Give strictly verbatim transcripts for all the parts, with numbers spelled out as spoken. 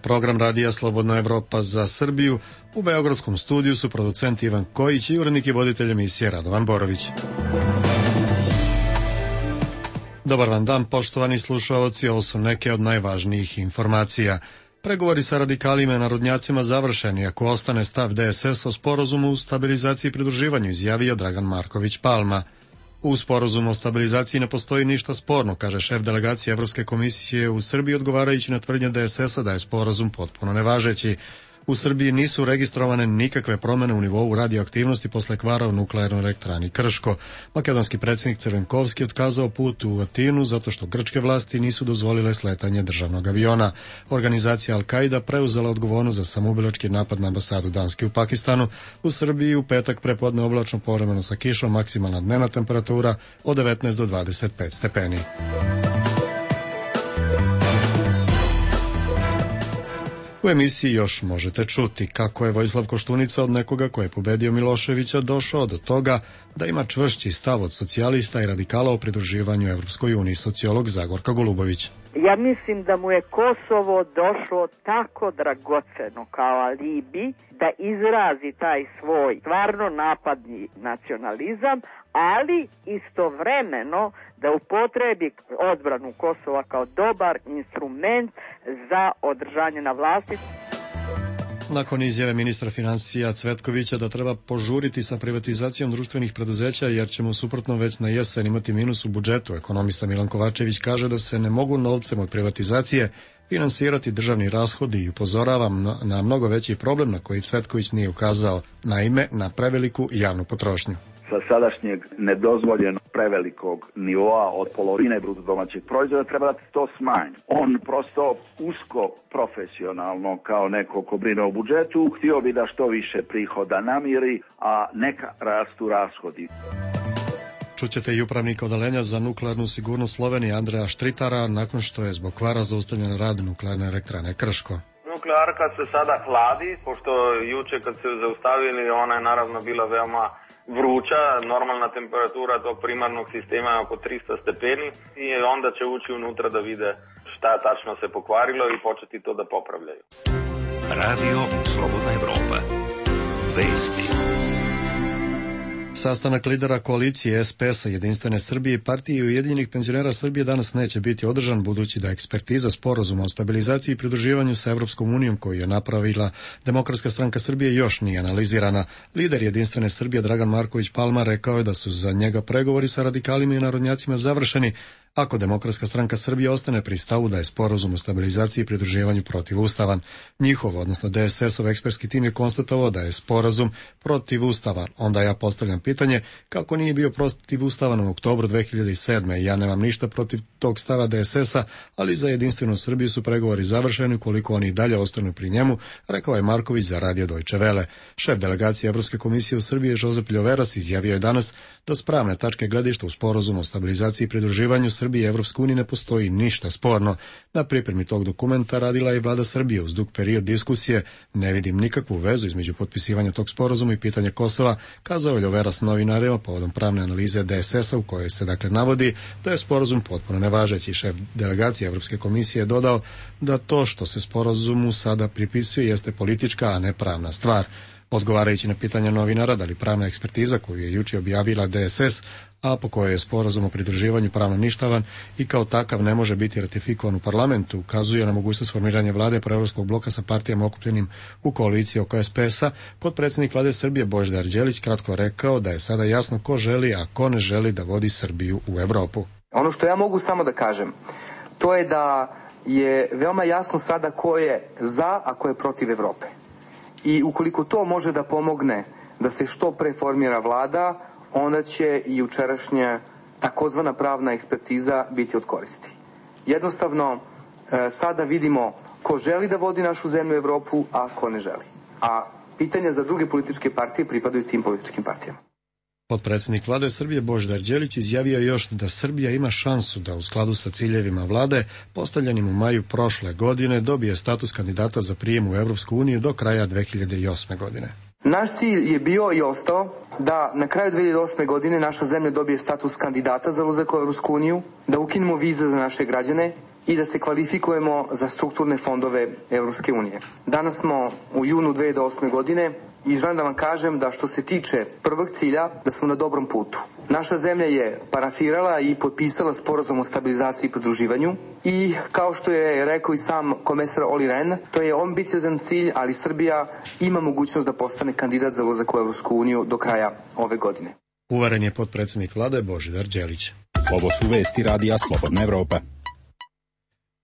program radija Slobodna Evropa za Srbiju. U beogradskom studiju su producent Ivan Kojić i urednik i voditelj emisije Radovan Borović. Dobar vam dan, poštovani slušaoci, ovo su neke od najvažnijih informacija. Pregovori sa radikalima i narodnjacima završeni, ako ostane stav D S S o sporazumu o stabilizaciji i pridruživanju, izjavio Dragan Marković Palma. U sporazumu o stabilizaciji ne postoji ništa sporno, kaže šef delegacije Evropske komisije u Srbiji, odgovarajući na tvrdnje D S S-a da je sporazum potpuno nevažeći. U Srbiji nisu registrovane nikakve promene u nivou radioaktivnosti posle kvara u nuklearnoj elektrani Krško. Makedonski predsjednik Crvenkovski otkazao put u Atinu zato što grčke vlasti nisu dozvolile sletanje državnog aviona. Organizacija Al-Qaida preuzela odgovornost za samoubilački napad na ambasadu Danske u Pakistanu. U Srbiji u petak prepodne oblačno, povremeno sa kišom, maksimalna dnevna temperatura od devetnaest do dvadeset pet stepeni. U emisiji još možete čuti kako je Vojislav Koštunica od nekoga ko je pobedio Miloševića došao do toga da ima čvršći stav od socijalista i radikala o pridruživanju Evropskoj uniji, sociolog Zagorka Golubović. Ja mislim da mu je Kosovo došlo tako dragoceno kao alibi da izrazi taj svoj stvarno napadni nacionalizam, ali istovremeno da upotrebi odbranu Kosova kao dobar instrument za održanje na vlasti. Nakon izjave ministra financija Cvetkovića da treba požuriti sa privatizacijom društvenih preduzeća jer ćemo suprotno već na jesen imati minus u budžetu, ekonomista Milan Kovačević kaže da se ne mogu novcem od privatizacije finansirati državni rashodi i upozoravam na mnogo veći problem na koji Cvetković nije ukazao, naime na preveliku javnu potrošnju. Sa sadašnjeg nedozvoljenog prevelikog nivoa od polovine bruto domaćeg proizvoda treba da to smanji. On prosto usko profesionalno kao neko ko brine o budžetu htio bi da što više prihoda namiri, a neka rastu rashodi. Čućete i upravnika odeljenja za nuklearnu sigurnost Slovenije Andreja Štritara nakon što je zbog kvara zaustavljen rad nuklearne elektrane Krško. Nuklearka se sada hladi, pošto juče kad se zaustavili ona je naravno bila veoma vruća, normalna temperatura tog primarnog sistema je oko tristo stepeni i onda će ući unutra da vide šta tačno se pokvarilo i početi to da popravljaju. Radio Slobodna Evropa. Vesti. Sastanak lidera koalicije S P S-a, Jedinstvene Srbije i Partije Ujedinjenih penzionera Srbije danas neće biti održan, budući da ekspertiza sporazuma o stabilizaciji i pridruživanju sa Evropskom unijom koju je napravila Demokratska stranka Srbije još nije analizirana. Lider Jedinstvene Srbije Dragan Marković Palma rekao je da su za njega pregovori sa radikalima i narodnjacima završeni, ako Demokratska stranka Srbije ostane pri stavu da je sporazum o stabilizaciji i pridruživanju protivustavan. Njihov, odnosno D S S-ov ekspertski tim je konstatovao da je sporazum protivustavan. Onda ja postavljam pitanje kako nije bio protivustavan u oktobru dve hiljade sedme. Ja nemam ništa protiv tog stava D S S-a, ali za Jedinstvenu Srbiju su pregovori završeni ukoliko oni dalje ostanu pri njemu, rekao je Marković za radio Deutsche Welle. Šef delegacije Evropske komisije u Srbiji Josep Ljoveras izjavio je danas da s pravne tačke gledišta u sporazumu o stabilizaciji i pridruživanju Srbije i Evropske unije ne postoji ništa sporno. Na pripremi tog dokumenta radila je vlada Srbije uz dug period diskusije. Ne vidim nikakvu vezu između potpisivanja tog sporazuma i pitanja Kosova, kazao je Ljoveras novinarima povodom pravne analize D S S-a u kojoj se dakle navodi da je sporazum potpuno nevažeći. Šef delegacije Evropske komisije je dodao da to što se sporazumu sada pripisuje jeste politička, a ne pravna stvar. Odgovarajući na pitanja novinara da li pravna ekspertiza koju je juče objavila D S S, a po kojoj je sporazum o pridruživanju pravno ništavan i kao takav ne može biti ratifikovan u parlamentu, ukazuje na mogućnost formiranja vlade proevropskog bloka sa partijama okupljenim u koaliciji oko S P S-a, potpredsjednik vlade Srbije Božidar Đelić kratko rekao da je sada jasno ko želi, a ko ne želi da vodi Srbiju u Evropu. Ono što ja mogu samo da kažem, to je da je veoma jasno sada ko je za, a ko je protiv Evrope. I ukoliko to može da pomogne da se što pre formira vlada, onda će i jučerašnja takozvana pravna ekspertiza biti od koristi. Jednostavno, sada vidimo ko želi da vodi našu zemlju u Evropu, a ko ne želi. A pitanja za druge političke partije pripadaju tim političkim partijama. Potpredsjednik vlade Srbije Božidar Đelić izjavio još da Srbija ima šansu da u skladu sa ciljevima vlade postavljenim u maju prošle godine dobije status kandidata za prijem u Evropsku uniju do kraja dve hiljade osme. godine. Naš cilj je bio i ostao da na kraju dve hiljade osme. godine naša zemlja dobije status kandidata za ulazak u Evropsku uniju, da ukinemo vize za naše građane i da se kvalifikujemo za strukturne fondove Evropske unije. Danas smo u junu dve hiljade osme. godine i želim da vam kažem da što se tiče prvog cilja, da smo na dobrom putu. Naša zemlja je parafirala i potpisala sporazum o stabilizaciji i pridruživanju i kao što je rekao i sam komesar Olli Rehn, to je ambiciozan cilj, ali Srbija ima mogućnost da postane kandidat za ulazak u Evropsku uniju do kraja ove godine. Uveren je potpredsjednik vlade Božidar Đelić. Ovo su vesti radija Slobodna Evropa.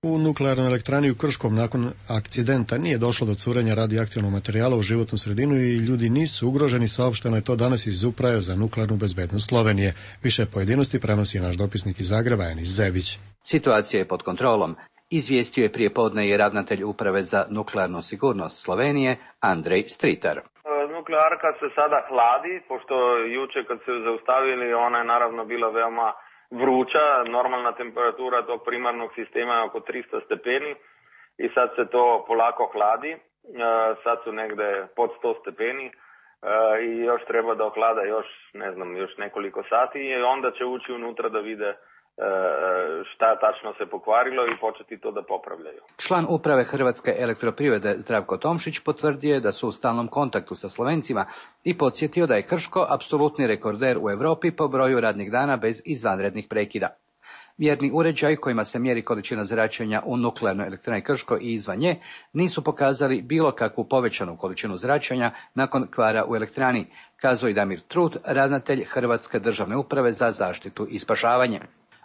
U nuklearnoj elektrani u Krškom nakon akcidenta nije došlo do curenja radioaktivnog materijala u životnu sredinu i ljudi nisu ugroženi, saopšteno je to danas iz Uprave za nuklearnu bezbednost Slovenije. Više pojedinosti prenosi naš dopisnik iz Zagreba, Enis Zebić. Situacija je pod kontrolom. Izvijestio je prije podne i ravnatelj Uprave za nuklearnu sigurnost Slovenije, Andrej Stritar. Nuklearka se sada hladi, pošto juče kad se zaustavili, ona je naravno bila veoma vruća, normalna temperatura tog primarnog sistema je oko tristo stepeni i sad se to polako hladi, sad su negde pod sto stepeni i još treba da ohlada još, ne znam, još nekoliko sati i onda će ući unutra da vide šta tačno se pokvarilo i početi to da popravljaju. Član uprave Hrvatske elektroprivrede Zdravko Tomšić potvrdio je da su u stalnom kontaktu sa Slovencima i podsjetio da je Krško apsolutni rekorder u Europi po broju radnih dana bez izvanrednih prekida. Mjerni uređaj kojima se mjeri količina zračenja u nuklearnoj elektrani Krško i izvan nje nisu pokazali bilo kakvu povećanu količinu zračenja nakon kvara u elektrani, kazao i Damir Trut, ravnatelj Hrvatske državne uprave za zaštitu i spašavanje.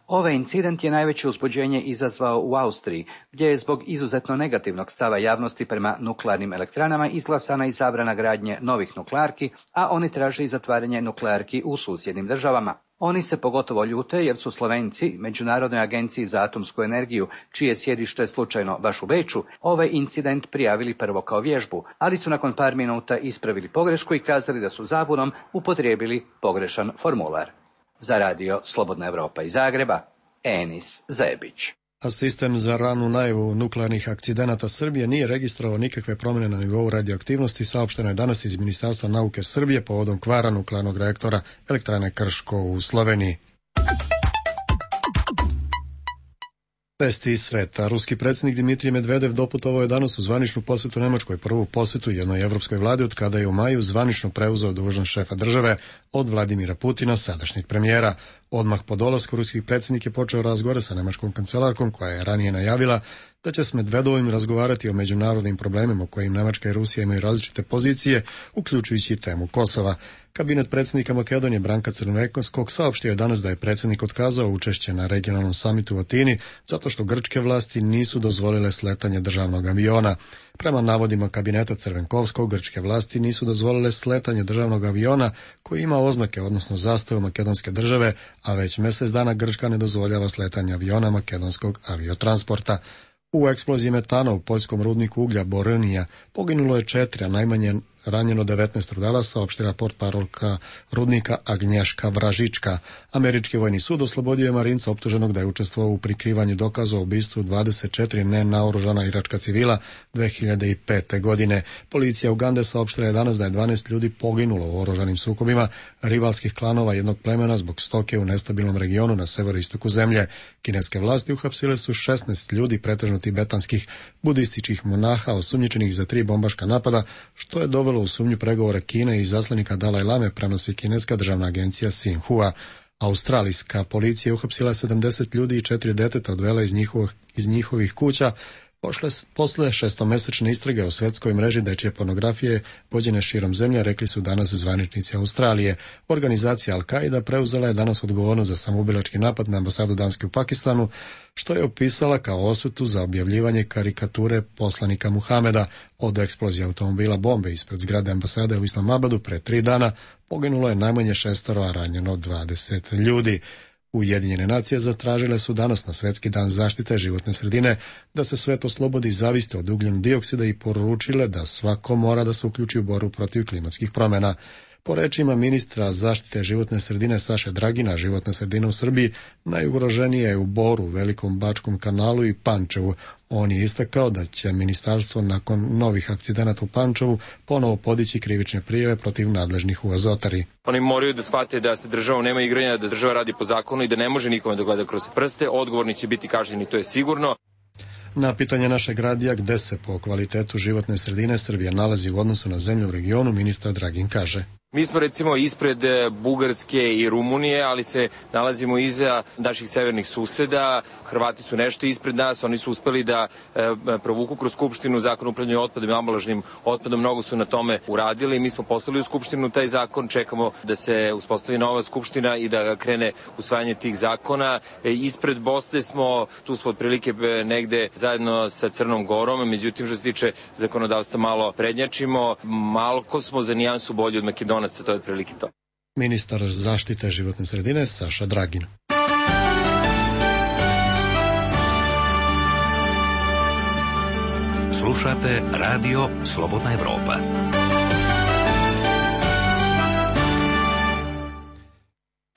Ovaj incident je najveće uzbuđenje izazvao u Austriji, gdje je zbog izuzetno negativnog stava javnosti prema nuklearnim elektranama izglasana i zabrana gradnje novih nuklearki, a oni traže i zatvaranje nuklearki u susjednim državama. Oni se pogotovo ljute jer su Slovenci, Međunarodnoj agenciji za atomsku energiju, čije sjedište slučajno baš u Beču, ovaj incident prijavili prvo kao vježbu, ali su nakon par minuta ispravili pogrešku i kazali da su zabunom upotrijebili pogrešan formular. Za radio Slobodna Evropa iz Zagreba, Enis Zebić. A sistem za ranu najavu nuklearnih akcidenata Srbije nije registrovao nikakve promjene na nivou radioaktivnosti, saopšteno je danas iz Ministarstva nauke Srbije povodom kvara nuklearnog reaktora elektrane Krško u Sloveniji. Vesti iz sveta. Ruski predsjednik Dimitrij Medvedev doputovao je danas u zvaničnu posjetu Nemačkoj, prvu posjetu jednoj evropskoj vladi od kada je u maju zvanično preuzeo dužnost šefa države od Vladimira Putina, sadašnjeg premijera. Odmah po dolasku ruskih predsjednik je počeo razgovore sa nemačkom kancelarkom koja je ranije najavila da će s Medvedovim razgovarati o međunarodnim problemima u kojim Nemačka i Rusija imaju različite pozicije, uključujući i temu Kosova. Kabinet predsjednika Makedonije Branka Crnovekovskog saopštio je danas da je predsjednik otkazao učešće na regionalnom samitu u Atini zato što grčke vlasti nisu dozvolile sletanje državnog aviona. Prema navodima kabineta Crvenkovskog, grčke vlasti nisu dozvolile sletanje državnog aviona koji ima oznake, odnosno zastavu makedonske države, a već mjesec dana Grčka ne dozvoljava sletanje aviona makedonskog aviotransporta. U eksploziji metana u poljskom rudniku uglja Boronija poginulo je četiri, a najmanje ranjeno devetnaest rudara, saopštila portparolka rudnika Agnješka Vražička. Američki vojni sud oslobodio je marinca optuženog da je učestvovao u prikrivanju dokaza o ubistvu dvadeset četiri nenaoružana iračka civila dve hiljade pete. godine. Policija Ugande saopštila je danas da je dvanaest ljudi poginulo u oružanim sukobima rivalskih klanova jednog plemena zbog stoke u nestabilnom regionu na severoistoku zemlje. Kineske vlasti uhapsile su šesnaest ljudi, pretežno tibetanskih budističkih monaha, osumnjičenih za tri bombaška napada, što je dovelo u sumnju pregovore Kine i zaslanika Dalaj Lame, prenosi kineska državna agencija Xinhua. Australijska policija uhapsila sedamdeset ljudi i četiri deteta odvela iz njihovih, iz njihovih kuća Pošle, posle šestomesečne istrage o svetskoj mreži dečje pornografije vođene širom zemlje, rekli su danas zvaničnici Australije. Organizacija Al-Qaida preuzela je danas odgovornost za samoubilački napad na ambasadu Danske u Pakistanu, što je opisala kao osvetu za objavljivanje karikature poslanika Muhameda. Od eksplozije automobila bombe ispred zgrade ambasade u Islamabadu pre tri dana poginulo je najmanje šestoro, a ranjeno dvadeset ljudi. Ujedinjene nacije zatražile su danas na Svjetski dan zaštite životne sredine da se svet oslobodi zaviste od ugljen dioksida i poručile da svako mora da se uključi u borbu protiv klimatskih promjena. Po rečima ministra zaštite životne sredine Saše Dragina, životna sredina u Srbiji najugroženija je u Boru, Velikom Bačkom kanalu i Pančevu. On je istakao da će ministarstvo nakon novih akcidenata u Pančevu ponovo podići krivične prijave protiv nadležnih u Azotari. Oni moraju da shvate da se državom nema igranja, da država radi po zakonu i da ne može nikome da gleda kroz prste. Odgovorni će biti kažnjeni, to je sigurno. Na pitanje našeg radija gde se po kvalitetu životne sredine Srbija nalazi u odnosu na zemlju u regionu, ministar Dragin kaže: Mi smo recimo ispred Bugarske i Rumunije, ali se nalazimo iza naših severnih suseda. Hrvati su nešto ispred nas, oni su uspeli da e, provuku kroz Skupštinu zakon o upravljanju otpadom i ambalažnim otpadom, mnogo su na tome uradili. Mi smo poslali u Skupštinu taj zakon, čekamo da se uspostavi nova Skupština i da krene usvajanje tih zakona. E, ispred Bosne smo, tu smo otprilike negde zajedno sa Crnom Gorom, međutim što se tiče zakonodavstva malo prednjačimo, malko smo za nijansu bolji od Makedona. To je otprilike to. Ministar zaštite životne sredine Saša Dragin. Slušate Radio Slobodna Evropa.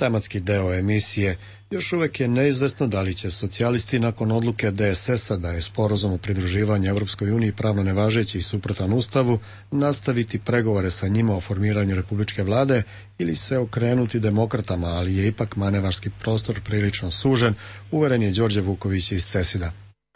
Tematski deo emisije. Još uvek je neizvesno da li će socijalisti nakon odluke D S S-a da je sporazum o pridruživanju Evropskoj uniji pravno nevažeći i suprotan Ustavu nastaviti pregovore sa njima o formiranju republičke vlade ili se okrenuti demokratama, ali je ipak manevarski prostor prilično sužen, uveren je Đorđe Vuković iz Cesida.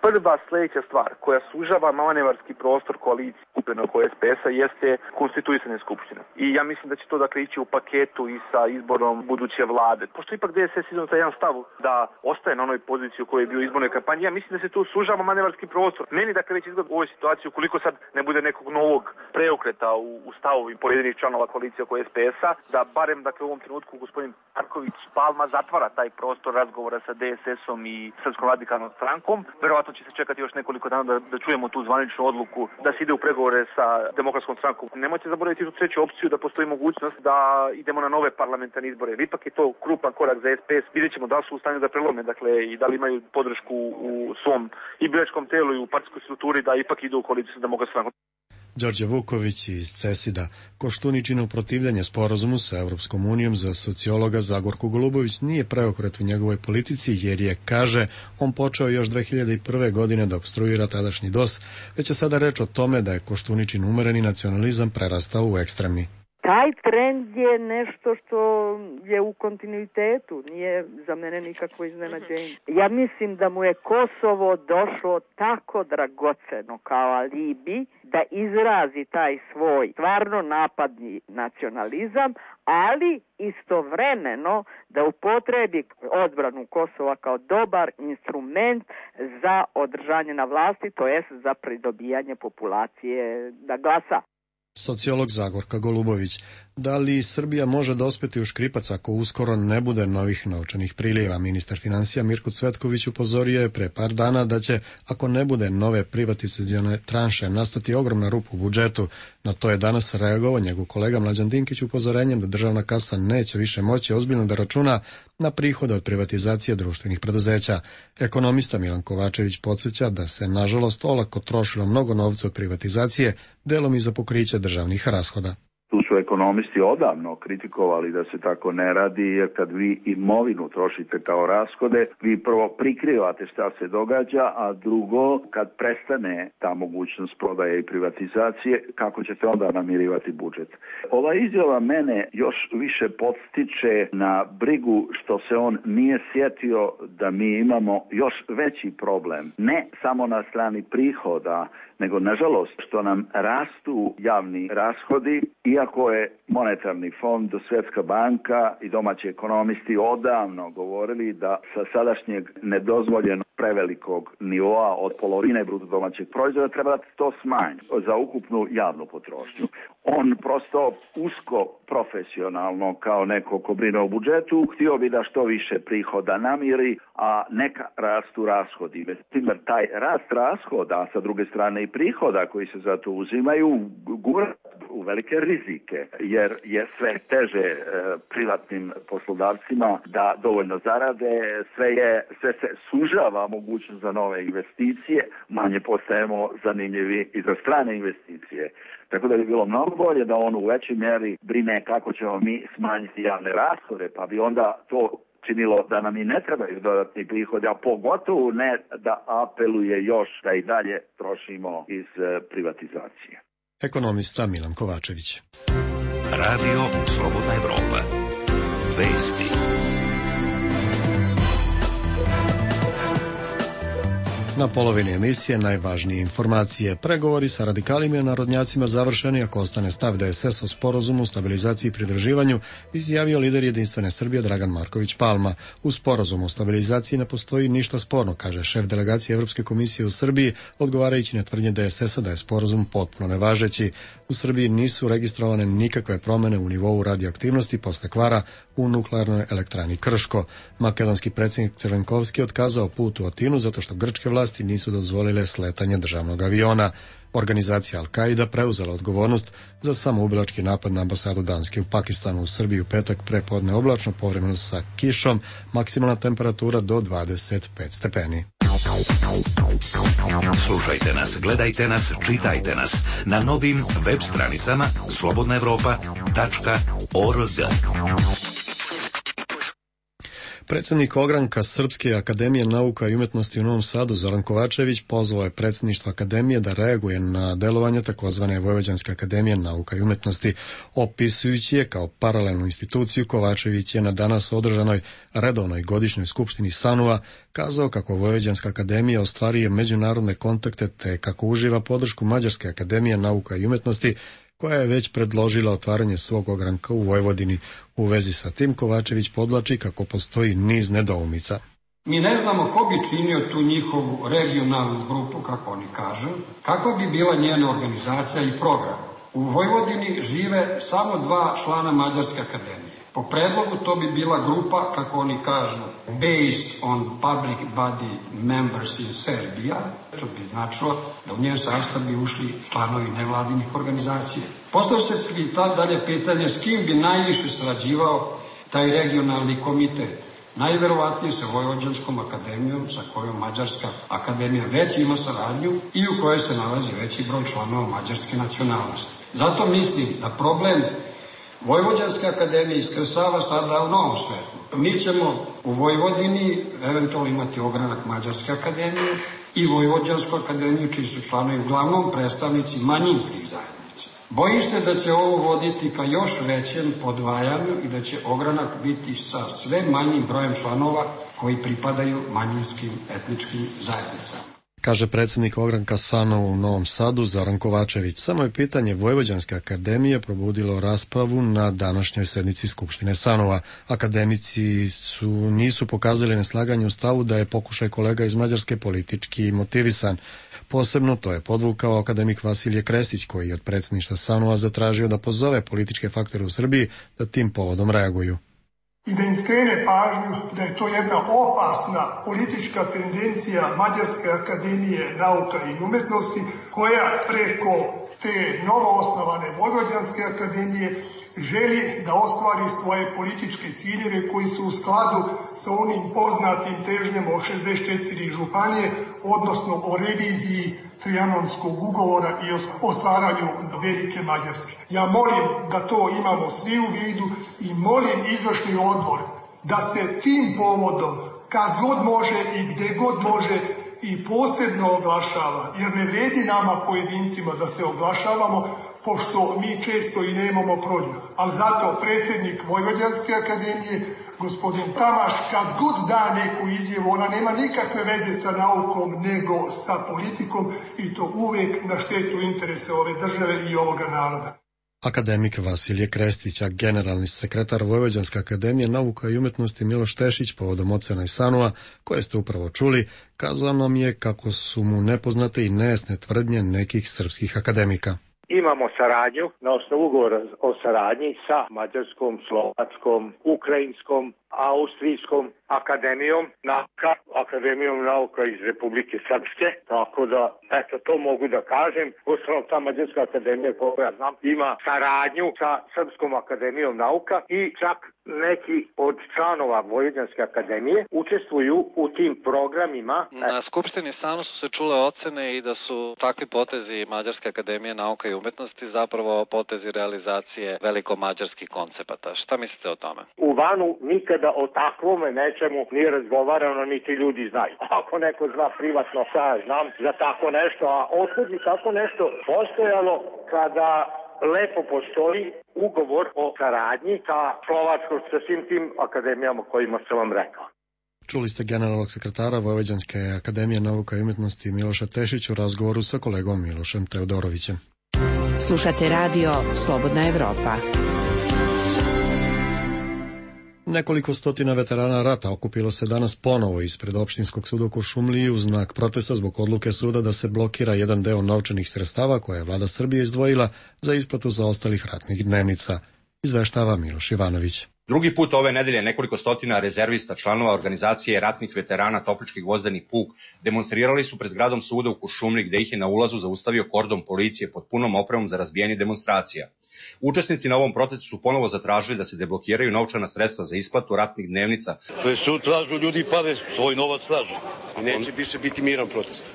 Prva sljedeća stvar koja sužava manevarski prostor koalicije skupine oko S P S-a jeste konstituisanje skupštine. I ja mislim da će to dakle ići u paketu i sa izborom buduće vlade. Pošto ipak D S S izno taj jedan stav da ostaje na onoj poziciji u kojoj je bio u izbornoj kampanji, ja mislim da se tu sužava manevarski prostor. Meni dakle već izgleda u ovoj situaciji, ukoliko sad ne bude nekog novog preokreta u, u stavu pojedinih članova koalicije oko S P S-a, da barem dakle u ovom trenutku gospodin Marković Palma zatvara taj prostor razgovora sa D S S-om i Srpskom radikalnom strankom. Verovatno će se čekati još nekoliko dana da, da čujemo tu zvaničnu odluku da se ide u pregovore sa Demokratskom strankom. Nemojte zaboraviti tu treću opciju da postoji mogućnost da idemo na nove parlamentarne izbore. Ipak je to krupan korak za S P S. Vidjet ćemo da li su u stanju da prelome, dakle, i da li imaju podršku u svom i biračkom telu i u partijskoj strukturi da ipak idu u koaliciju sa Demokratskom strankom. Đorđe Vuković iz Cesida. Koštuničino protivljenje sporazumu sa Evropskom unijom za sociologa Zagorku Golubović nije preokret u njegovoj politici, jer je, kaže, on počeo još dve hiljade prve. godine da opstruira tadašnji D O S, već je sada reč o tome da je Koštuničin umereni nacionalizam prerastao u ekstremni. Taj trend je nešto što je u kontinuitetu, nije za mene nikakvo iznenađenje. Ja mislim da mu je Kosovo došlo tako dragoceno kao alibi da izrazi taj svoj stvarno napadni nacionalizam, ali istovremeno da upotrebi odbranu Kosova kao dobar instrument za održanje na vlasti, to jest za pridobijanje populacije da glasa. Sociolog Zagorka Golubović. Da li Srbija može dospeti u škripac ako uskoro ne bude novih novčanih prilijeva? Ministar financija Mirko Cvetković upozorio je pre par dana da će, ako ne bude nove privatizacione tranše, nastati ogromna rupa u budžetu. Na to je danas reagovao njegov kolega Mlađan Dinkić upozorenjem da državna kasa neće više moći ozbiljno da računa na prihode od privatizacije društvenih preduzeća. Ekonomista Milan Kovačević podsjeća da se, nažalost, olako trošilo mnogo novca od privatizacije, delom i za pokriće državnih rashoda. Tu su ekonomisti odavno kritikovali da se tako ne radi, jer kad vi imovinu trošite kao rashode, vi prvo prikrivate šta se događa, a drugo, kad prestane ta mogućnost prodaje i privatizacije, kako ćete onda namirivati budžet. Ova izjava mene još više podstiče na brigu što se on nije sjetio da mi imamo još veći problem, ne samo na strani prihoda, nego nažalost što nam rastu javni rashodi, iako je monetarni fond, Svjetska banka i domaći ekonomisti odavno govorili da sa sadašnjeg nedozvoljenog prevelikog nivoa od polovine bruto domaćeg proizvoda treba da to smanji za ukupnu javnu potrošnju. On prosto usko profesionalno kao neko ko brine o budžetu htio bi da što više prihoda namiri, a neka rastu rashodi. Međutim, taj rast rashoda, sa druge strane i prihoda koji se za to uzimaju, gura u velike rizike, jer je sve teže e, privatnim poslodavcima da dovoljno zarade, sve, je, sve se sužava mogućnost za nove investicije, manje postajemo zanimljivi i za strane investicije. Tako da bi bilo mnogo bolje da on u većoj mjeri brine kako ćemo mi smanjiti javne rashode, pa bi onda to činilo da nam i ne trebaju dodatni prihodi, a pogotovo ne da apeluje još da i dalje trošimo iz privatizacije. Ekonomista Milan Kovačević. Radio Slobodna Evropa. Vesti. Na polovini emisije najvažnije informacije. Pregovori sa radikalima i narodnjacima završeni ako ostane stav D S S o sporazumu, stabilizaciji i pridruživanju, izjavio lider Jedinstvene Srbije Dragan Marković Palma. U sporazumu o stabilizaciji ne postoji ništa sporno, kaže šef delegacije Evropske komisije u Srbiji, odgovarajući na tvrdnje D S S-a da je sporazum potpuno nevažeći. U Srbiji nisu registrovane nikakve promene u nivou radioaktivnosti posle kvara u nuklearnoj elektrani Krško. Makedonski predsjednik Crvenkovski otkazao put u Atinu zato što grčke vlasti nisu dozvolile sletanje državnog aviona. Organizacija Al-Qaida preuzela odgovornost za samoubilački napad na ambasadu Danske u Pakistanu. U Srbiji u petak prepodne oblačno, povremeno sa kišom, maksimalna temperatura do dvadeset pet stepeni. Slušajte nas, gledajte nas, čitajte nas na novim web stranicama slobodna evropa tačka org. Predsjednik ogranka Srpske akademije nauka i umetnosti u Novom Sadu Zoran Kovačević pozvao je predsjedništvo akademije da reaguje na delovanje takozvane Vojvođanske akademije nauka i umetnosti. Opisujući je kao paralelnu instituciju, Kovačević je na danas održanoj redovnoj godišnjoj skupštini SANU-a kazao kako Vojvođanska akademija ostvaruje međunarodne kontakte te kako uživa podršku Mađarske akademije nauka i umetnosti, koja je već predložila otvaranje svog ogranka u Vojvodini. U vezi sa tim Kovačević podlači kako postoji niz nedoumica. Mi ne znamo ko bi činio tu njihovu regionalnu grupu, kako oni kažu, kakva bi bila njena organizacija i program. U Vojvodini žive samo dva člana Mađarske akademije. Po predlogu to bi bila grupa, kako oni kažu, based on public body members in Serbia. To bi značilo da u njen sastav bi ušli članovi nevladinih organizacija. Postavlja se tad dalje pitanje s kim bi najviše sarađivao taj regionalni komitet. Najverovatnije sa Vojvođanskom akademijom, sa kojom Mađarska akademija već ima saradnju i u kojoj se nalazi veći broj članova mađarske nacionalnosti. Zato mislim da problem Vojvođanske akademije iskrsava sada u novom svetu. Mi ćemo u Vojvodini eventualno imati ogranak Mađarske akademije i Vojvođansku akademiju, čiji su članovi uglavnom predstavnici manjinskih zajednica. Bojim se da će ovo voditi ka još većem podvajanju i da će ogranak biti sa sve manjim brojem članova koji pripadaju manjinskim etničkim zajednicama, kaže predsjednik ogranka SANU u Novom Sadu Zoran Kovačević. Samo je pitanje Vojvođanske akademije probudilo raspravu na današnjoj sednici Skupštine SANU-a. Akademici su, nisu pokazali neslaganje u stavu da je pokušaj kolega iz Mađarske politički motivisan. Posebno to je podvukao akademik Vasilije Krestić, koji je od predsjedništva SANU-a zatražio da pozove političke faktore u Srbiji da tim povodom reaguju. I da im skrene pažnju da je to jedna opasna politička tendencija Mađarske akademije nauka i umetnosti, koja preko te novoosnovane Vojvođanske akademije želi da ostvari svoje političke ciljeve koji su u skladu sa onim poznatim težnjama o šezdeset četiri županije, odnosno o reviziji Trijanonskog ugovora i o stvaranju Velike Mađarske. Ja molim da to imamo svi u vidu i molim izvršni odbor da se tim povodom, kad god može i gde god može, i posebno oglašava, jer ne vredi nama pojedincima da se oglašavamo, pošto mi često i nemamo prođu. Ali zato predsjednik Vojvođanske akademije, gospodin Tamaš, kad god da neku izjavu, ona nema nikakve veze sa naukom, nego sa politikom, i to uvek na štetu interesa ove države i ovoga naroda. Akademik Vasilije Krestić, a generalni sekretar Vojvođanske akademije nauka i umetnosti Miloš Tešić povodom ocena i SANU-a, koje ste upravo čuli, kazao nam je kako su mu nepoznate i nejasne tvrdnje nekih srpskih akademika. Imamo saradnju na osnovu ugovora o saradnji sa Mađarskom, Slovačkom, Ukrajinskom, Austrijskom akademijom nauka, akademijom nauka iz Republike Srpske, tako da, eto, to mogu da kažem. Uostalom, ta Mađarska akademija, koliko ja znam, ima saradnju sa Srpskom akademijom nauka i čak neki od članova Vojvođanske akademije učestvuju u tim programima. Na Skupštini SANU su se čule ocene i da su takvi potezi Mađarske akademije nauka i umetnosti zapravo potezi realizacije veliko-mađarskih koncepata. Šta mislite o tome? U vanu nikada o takvome nečemu nije razgovarano, niti ljudi znaju. Ako neko zna privatno, šta ja znam za tako nešto, a otkud bi tako nešto postojalo kada lepo postoji ugovor o saradnji sa Slovačkom, sa svim tim akademijama kojima sam vam rekao. Čuli ste generalnog sekretara Vojvođanske akademije nauka i umjetnosti Miloša Tešića u razgovoru sa kolegom Milošem Teodorovićem. Slušate radio Slobodna Evropa. Nekoliko stotina veterana rata okupilo se danas ponovo ispred opštinskog suda u Kuršumliji u znak protesta zbog odluke suda da se blokira jedan deo novčanih sredstava koje je vlada Srbije izdvojila za isplatu zaostalih ratnih dnevnica, izveštava Miloš Ivanović. Drugi put ove nedelje nekoliko stotina rezervista članova organizacije ratnih veterana Toplički gvozdeni puk demonstrirali su pred zgradom suda u Kuršumliji, gde ih je na ulazu zaustavio kordon policije pod punom opremom za razbijanje demonstracija. Učesnici na ovom protestu su ponovo zatražili da se deblokiraju novčana sredstva za isplatu ratnih dnevnica. Sud tražu, ljudi pade, svoj novac tražu. I neće više biti miran protest.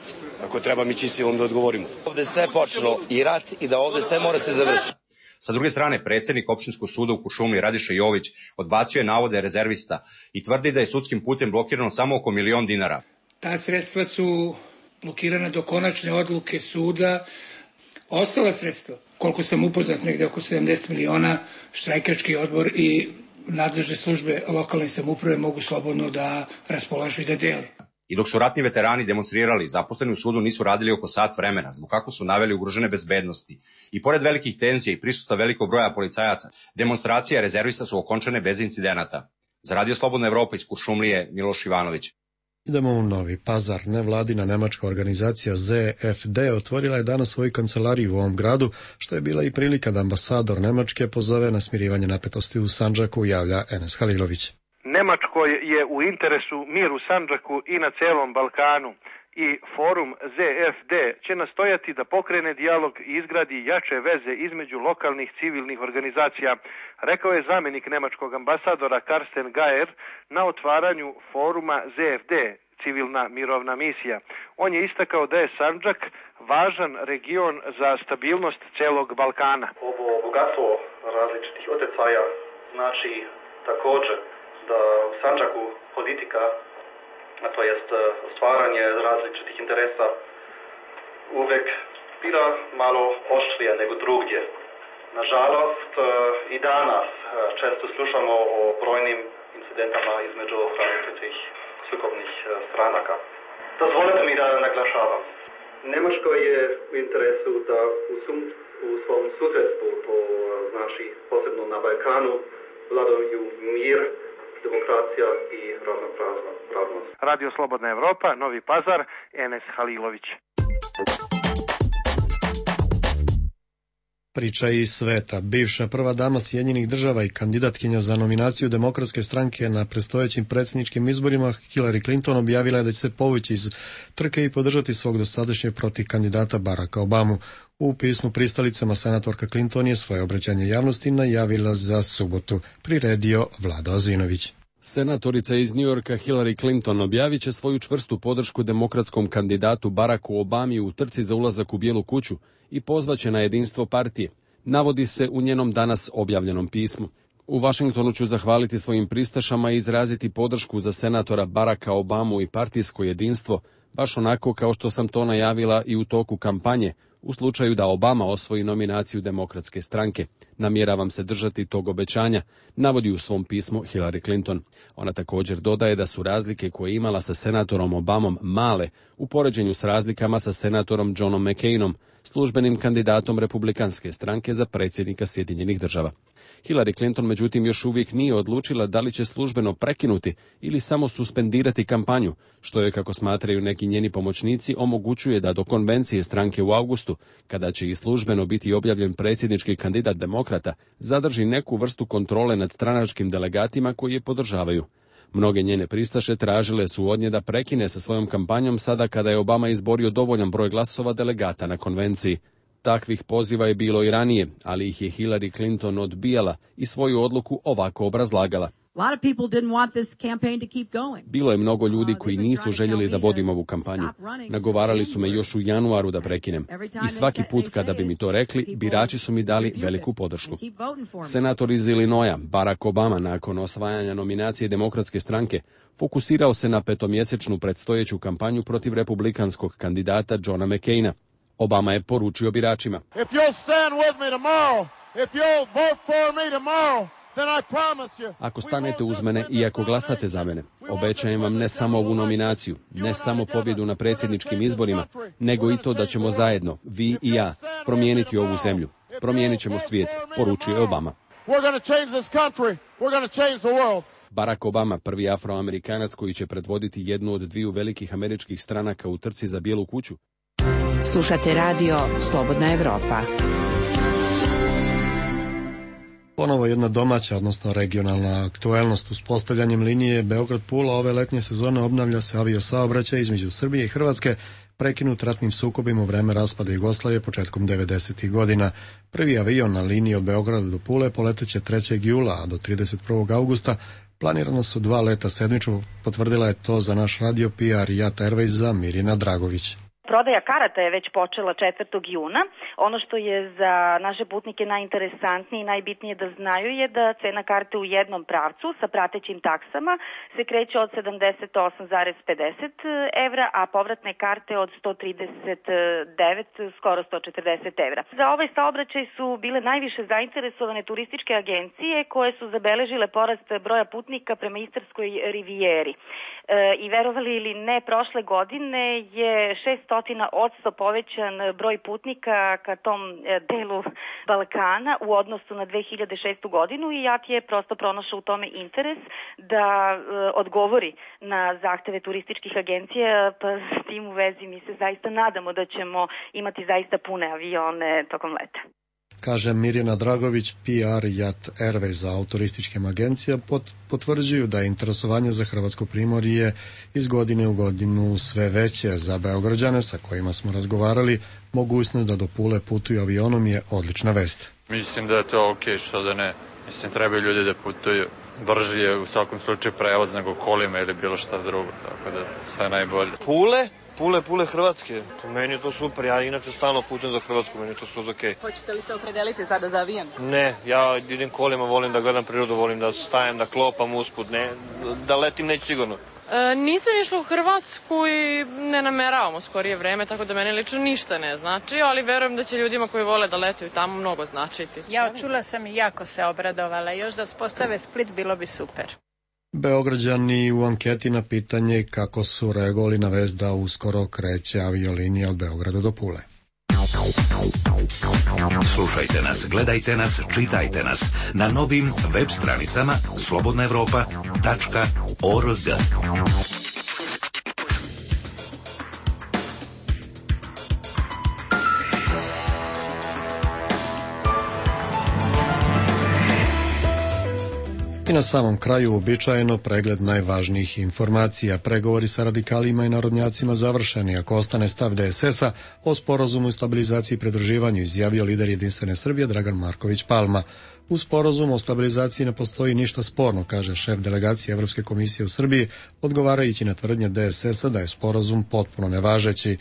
Ako treba, mi će silom da odgovorimo. Ovde sve počelo i rat i da ovde sve mora se završiti. Sa druge strane, predsjednik opštinskog suda u Kuršumliji Radiša Jović odbacio je navode rezervista i tvrdi da je sudskim putem blokirano samo oko milion dinara. Ta sredstva su blokirana do konačne odluke suda. Ostala sredstva, koliko sam upoznat, negde oko sedamdeset miliona, štrajkački odbor i nadležne službe lokalne samouprave mogu slobodno da raspolažu i da dele. I dok su ratni veterani demonstrirali, zaposleni u sudu nisu radili oko sat vremena, zbog kako su naveli ugrožene bezbednosti. I pored velikih tenzija i prisustva velikog broja policajaca, demonstracije rezervista su okončane bez incidenata. Za Radio Slobodna Evropa iz Kuršumlije, Miloš Ivanović. Idemo u Novi Pazar. Nevladina nemačka organizacija Z F D otvorila je danas svoju kancelariju u ovom gradu, što je bila i prilika da ambasador Nemačke pozove na smirivanje napetosti u Sandžaku, javlja Enes Halilović. Nemačkoj je u interesu mir u Sandžaku i na celom Balkanu i forum Z F D će nastojati da pokrene dijalog i izgradi jače veze između lokalnih civilnih organizacija, rekao je zamjenik nemačkog ambasadora Karsten Geier na otvaranju foruma Z F D, civilna mirovna misija. On je istakao da je Sandžak važan region za stabilnost celog Balkana. Ovo bogatstvo različitih utjecaja znači također da u Sandžaku politika, a to jest stvaranje različitih interesa, uvek bila malo oštrija nego drugdje. Nažalost, i danas često slušamo o brojnim incidentama između različitih sukobnih stranaka. Dozvolite mi da naglašavam. Nemačko je u interesu da u, sum, u svom susjedstvu, to znači posebno na Balkanu, vladaju mir, demokracija i ravnopravnost. Radio Slobodna Evropa, Novi Pazar, Enes Halilović. Priča iz sveta. Bivša prva dama Sjedinjenih država i kandidatkinja za nominaciju Demokratske stranke na predstojećim predsjedničkim izborima Hillary Clinton objavila je da će se povući iz trke i podržati svog dosadašnjeg protiv kandidata Baracka Obamu. U pismu pristalicama senatorka Clinton je svoje obraćanje javnosti najavila za subotu, priredio Vlado Azinović. Senatorica iz Njujorka Hillary Clinton objavit će svoju čvrstu podršku demokratskom kandidatu Baracku Obami u trci za ulazak u Bijelu kuću i pozvaće na jedinstvo partije, navodi se u njenom danas objavljenom pismu. U Vašingtonu ću zahvaliti svojim pristašama i izraziti podršku za senatora Baracka Obamu i partijsko jedinstvo, baš onako kao što sam to najavila i u toku kampanje, u slučaju da Obama osvoji nominaciju Demokratske stranke. Namjeravam se držati tog obećanja, navodi u svom pismu Hillary Clinton. Ona također dodaje da su razlike koje je imala sa senatorom Obamom male u poređenju s razlikama sa senatorom Johnom McCainom, službenim kandidatom Republikanske stranke za predsjednika Sjedinjenih država. Hillary Clinton međutim još uvijek nije odlučila da li će službeno prekinuti ili samo suspendirati kampanju, što je, kako smatraju neki njeni pomoćnici, omogućuje da do konvencije stranke u avgustu, kada će i službeno biti objavljen predsjednički kandidat demokrata, zadrži neku vrstu kontrole nad stranačkim delegatima koji je podržavaju. Mnoge njene pristaše tražile su od nje da prekine sa svojom kampanjom sada kada je Obama izborio dovoljan broj glasova delegata na konvenciji. Takvih poziva je bilo i ranije, ali ih je Hillary Clinton odbijala i svoju odluku ovako obrazlagala. Bilo je mnogo ljudi koji nisu željeli da vodim ovu kampanju. Nagovarali su me još u januaru da prekinem. I svaki put kada bi mi to rekli, birači su mi dali veliku podršku. Senator iz Illinoisa, Barack Obama, nakon osvajanja nominacije Demokratske stranke, fokusirao se na petomjesečnu predstojeću kampanju protiv republikanskog kandidata Johna McCaina. Obama je poručio biračima: If you'll stand with me tomorrow, if you'll vote for me tomorrow, Ako stanete uz mene i ako glasate za mene, obećajem vam ne samo ovu nominaciju, ne samo pobjedu na predsjedničkim izborima, nego i to da ćemo zajedno, vi i ja, promijeniti ovu zemlju. Promijenit ćemo svijet, poručio je Obama. Barack Obama, prvi afroamerikanac koji će predvoditi jednu od dviju velikih američkih stranaka u trci za Bijelu kuću. Slušate radio Slobodna Evropa. Ponovo jedna domaća, odnosno regionalna aktuelnost. Uspostavljanjem linije Beograd-Pula ove letnje sezone obnavlja se aviosaobraćaj između Srbije i Hrvatske, prekinut ratnim sukobima u vreme raspada Jugoslavije početkom devedesetih godina. Prvi avion na liniji od Beograda do Pule poleteće trećeg jula, a do trideset prvog augusta planirano su dva leta sedmično, potvrdila je to za naš radio P R Jat Airwaysa Mirjana Dragović. Prodaja karata je već počela četvrtog juna. Ono što je za naše putnike najinteresantnije i najbitnije da znaju je da cena karte u jednom pravcu sa pratećim taksama se kreće od sedamdeset osam zarez pedeset evra, a povratne karte od sto trideset devet, skoro sto četrdeset evra. Za ovaj saobraćaj su bile najviše zainteresovane turističke agencije koje su zabeležile porast broja putnika prema Istarskoj rivijeri. E, I verovali ili ne, prošle godine je šest odsto povećan broj putnika ka tom delu Balkana u odnosu na dve hiljade šestu godinu i Jat je prosto pronašao u tome interes da e, odgovori na zahteve turističkih agencija, pa s tim u vezi mi se zaista nadamo da ćemo imati zaista pune avione tokom leta. Kaže Mirjana Dragović, P R Jat Airways za turističkim agencija, pot, potvrđuju da je interesovanje za Hrvatsko primorje iz godine u godinu sve veće. Za Beograđane sa kojima smo razgovarali, mogućnost da do Pule putuju avionom je odlična vest. Mislim da je to ok, što da ne. Mislim, trebaju ljudi da putuju. Brži je u svakom slučaju prevoz nego kolima ili bilo šta drugo, tako da sve najbolje. Pule? Pule, Pule Hrvatske. Po meni je to super, ja inače stalno putujem za Hrvatsku, meni je to skroz okej. Hoćete li se opredeliti sada za avion? Ne, ja idem kolima, volim da gledam prirodu, volim da stajem, da klopam usput, ne, da letim neću sigurno. E, nisam išla u Hrvatsku i ne nameravamo skorije vreme, tako da meni lično ništa ne znači, ali verujem da će ljudima koji vole da letuju tamo mnogo značiti. Ja čula sam i jako se obradovala, još da uspostave Split bilo bi super. Beograđani u anketi na pitanje kako su reagovali na vest da uskoro kreće aviolinija od Beograda do Pule. Slušajte nas, gledajte nas, čitajte nas na novim web stranicama slobodna evropa tačka org. I na samom kraju uobičajeno pregled najvažnijih informacija. Pregovori sa radikalima i narodnjacima završeni. Ako ostane stav D S S-a o sporazumu i stabilizaciji i pridruživanju, izjavio lider Jedinstvene Srbije Dragan Marković Palma. U sporazumu o stabilizaciji ne postoji ništa sporno, kaže šef delegacije Evropske komisije u Srbiji, odgovarajući na tvrdnje D S S-a da je sporazum potpuno nevažeći.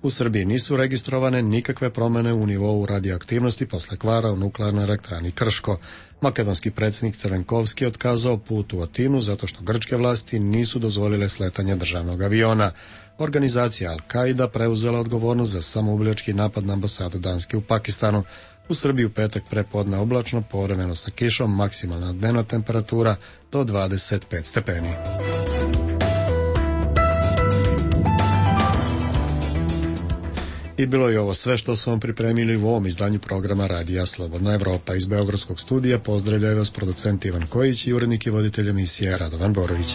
U Srbiji nisu registrovane nikakve promene u nivou radioaktivnosti posle kvara u nuklearnoj elektrani Krško. Makedonski predsjednik Crvenkovski otkazao put u Atinu zato što grčke vlasti nisu dozvolile sletanje državnog aviona. Organizacija Al-Qaida preuzela odgovornost za samoubilački napad na ambasadu Danske u Pakistanu. U Srbiji u petak prepodne oblačno, povremeno sa kišom, maksimalna dnevna temperatura do dvadeset pet stepeni. I bilo je ovo sve što smo vam pripremili u ovom izdanju programa Radija Slobodna Evropa. Iz Beogradskog studija pozdravljaju vas producent Ivan Kojić i urednik i voditelj emisije Radovan Borović.